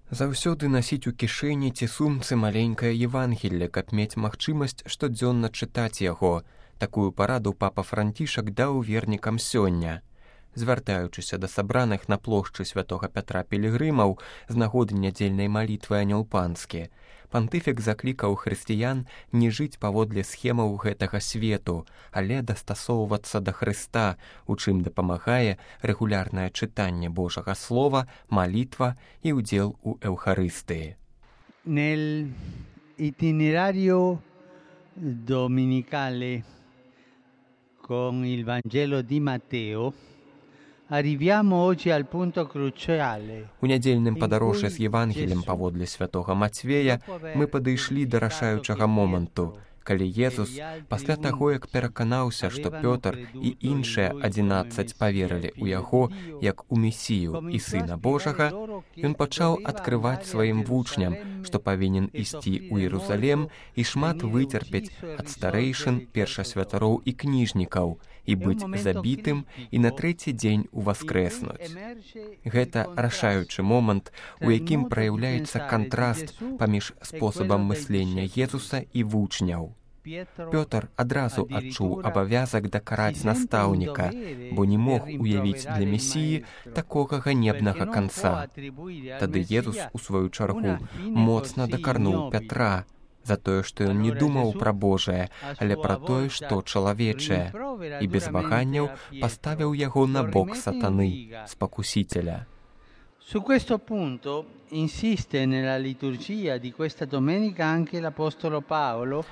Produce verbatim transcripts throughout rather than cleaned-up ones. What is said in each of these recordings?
Заўсёды насіць у кішэні ці сумцы маленькае Евангелле, каб мець магчымасць штодзённа чытаць яго. Такую параду папа Францішак даў вернікам сёння. Звяртаючыся да сабраных на плошчы святога Пятра пілігрымаў з нагоды нядзельнай малітвы Анёл Панскі, пантыфік заклікаў хрысціян не жыць паводле схемаў гэтага свету, але дастасоўвацца да Хрыста, у чым дапамагае рэгулярнае чытанне Божага Слова, малітва і ўдзел у Эўхарыстыі. Nel itinerario domenicale con il Vangelo di Matteo arriviamo oggi al punto cruciale. У нядзельным падарожжы з Евангелем паводле святога Мацвея мы падышлі да рашаючага моманту, калі Езус, пасля таго, як пераканаўся, што Пётр і іншыя адзінаццаць паверылі ў яго як у Месію і Сына Божага, ён пачаў адкрываць сваім вучням, што павінен ісці ў Іерусалем і шмат выцерпець ад старэйшын, першасвятароў і кніжнікаў, і быць забітым і на трэці дзень уваскрэснуць. Гэта рашаючы момант, у якім праяўляецца кантраст паміж спосабам мыслення Езуса і вучняў. Пётр адразу адчуў абавязак дакараць настаўніка, бо не мог уявіць для Месіі такога ганебнага канца. Тады Езус, у сваю чаргу, моцна дакарнуў Пятра за тое, што ён не думаў пра Божае, але пра тое, што чалавечае, і без ваганняў паставіў яго на бок сатаны, спакусителя. Su questo punto insiste nella liturgia di questa domenica anche l'Apostolo Paolo.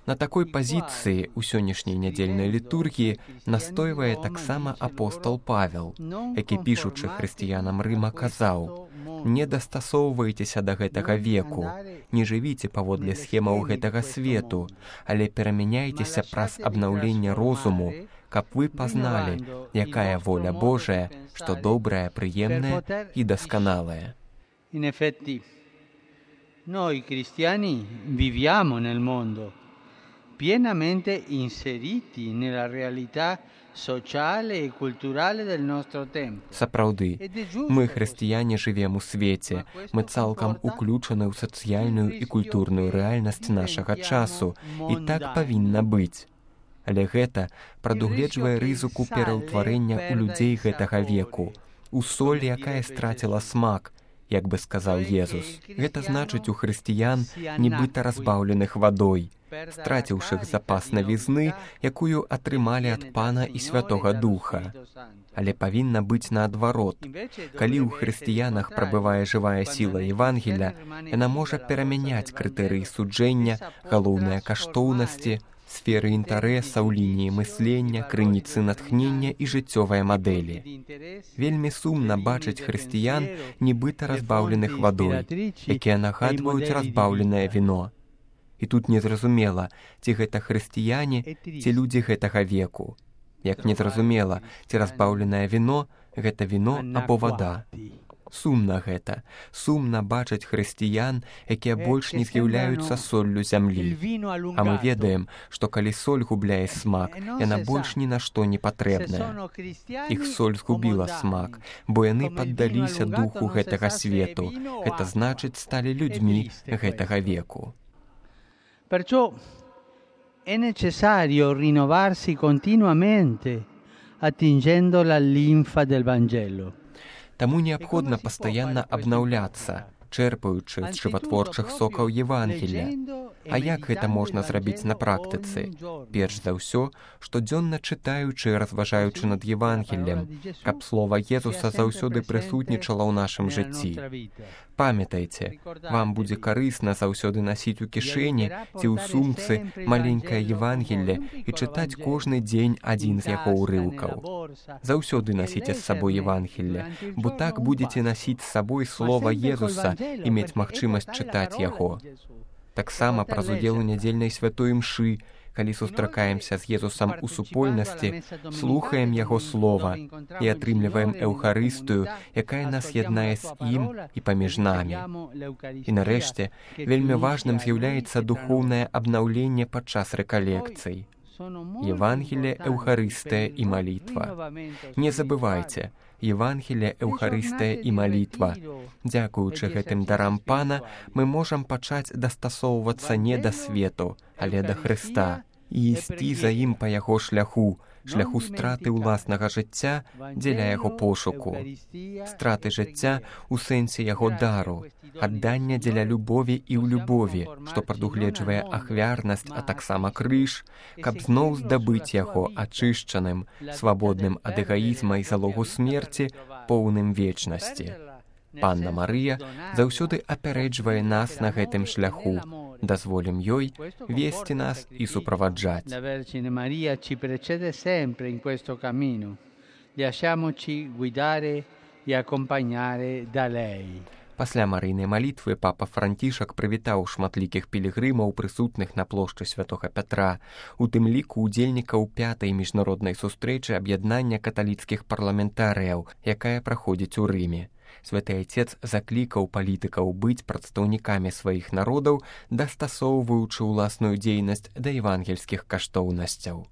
На такой пазіцыі ў сённяшняй нядзельнай літургіі настойвае таксама апостол Павел, які, пішучы хрысціянам Рыма, казаў: «Не дастасоўвайцеся да гэтага веку, не жывіце паводле схемаў гэтага свету, але перамяняйцеся праз абнаўленне розуму, каб вы пазналі, якая воля Божая, што добрая, прыемная і дасканалая». In effetti, noi cristiani viviamo nel mondo, pienamente inseriti nella realtà sociale e culturale del nostro tempo. Сапраўды, мы, хрысціяне, жывем у свеце, мы цалкам уключаны ў сацыяльную і культурную рэальнасць нашага часу, і так павінна быць. Але гэта прадугледжвае рызыку пераўтварэння ў людзей гэтага веку, у соль, якая страціла смак, як бы сказаў Езус. Гэта значыць у хрысціян, нібыта разбаўленых вадой, страціўшых запас навізны, якую атрымалі ад Пана і Святога Духа. Але павінна быць наадварот. Калі ў хрысціянах прабывае жывая сіла Евангеля, яна можа перамяняць крытэрыі суджэння, галоўныя каштоўнасці, сферы інтарэсаў, лініі мыслення, крыніцы натхнення і жыццёвыя мадэлі. Вельмі сумна бачыць хрысціян, нібыта разбаўленых вадой, якія нагадваюць разбаўленае віно. І тут незразумела, ці гэта хрысціяне, ці людзі гэтага веку. Як незразумела, ці разбаўленае віно, гэта віно або вада. Сумна гэта, сумна бачыць хрысціян, якія больш не з'яўляюцца соллю зямлі. А мы ведаем, што калі соль губляе смак, яна больш ні на што не патрэбная. Іх соль згубіла смак, бо яны паддаліся духу гэтага свету, гэта значыць, сталі людзьмі гэтага веку. Perciò è necessario rinnovarsi continuamente, attingendo la linfa del Vangelo. Таму неабходна пастаянна абнаўляцца, чэрпаючы з жыватворчых сокаў Евангелля. А як гэта можна зрабіць на практыцы? Перш за ўсё, штодзённа чытаючы і разважаючы над Евангеллем, каб слова Езуса заўсёды прысутнічала ў нашым жыцці. Памятайце, вам будзе карысна заўсёды насіць у кішэні ці ў сумцы маленькае Евангелле і чытаць кожны дзень адзін з яго ўрыўкаў. Заўсёды насіце з сабой Евангелле, бо так будзеце насіць з сабой слова Езуса і мець магчымасць чытаць яго. Таксама праз удзел у нядзельнай святой імшы, калі сустракаемся з Езусам у супольнасці, слухаем яго слова і атрымліваем Эўхарыстыю, якая нас яднае з ім і паміж намі. І нарэшце, вельмі важным з'яўляецца духоўнае абнаўленне падчас рэкалекцый. Евангелие, Эўхарыстыя і малітва. Не забывайце, Евангелие, Эўхарыстыя і малітва. Дзякуючы гэтым дарам Пана мы можам пачаць дастасоўвацца не да свету, але да Хрыста і ісці за ім па яго шляху, шляху страты ўласнага жыцця дзеля яго пошуку, страты жыцця ў сэнсе яго дару, аддання дзеля любові і ў любові, што прадугледжвае ахвярнасць, а таксама крыж, каб зноў здабыць яго ачышчаным, свабодным ад эгаізма і залогу смерці, поўным вечнасці. Панна Марыя заўсёды апярэджвае нас на гэтым шляху. Дазволім ёй весці нас і суправаджаць. La Vergine Maria ci precede sempre in questo cammino. Lasciamoci guidare e accompagnare da lei. Пасля марыйнай малітвы папа Францішак прывітаў шматлікіх пілігрымаў, прысутных на плошчы Святога Пятра, у тым ліку удзельнікаў пятай міжнароднай сустрэчы аб'яднання каталіцкіх парламентарыяў, якая праходзіць у Рыме. Святы Айцец заклікаў палітыкаў быць прадстаўнікамі сваіх народаў, дастасоўваючы ўласную дзейнасць да евангельскіх каштоўнасцяў.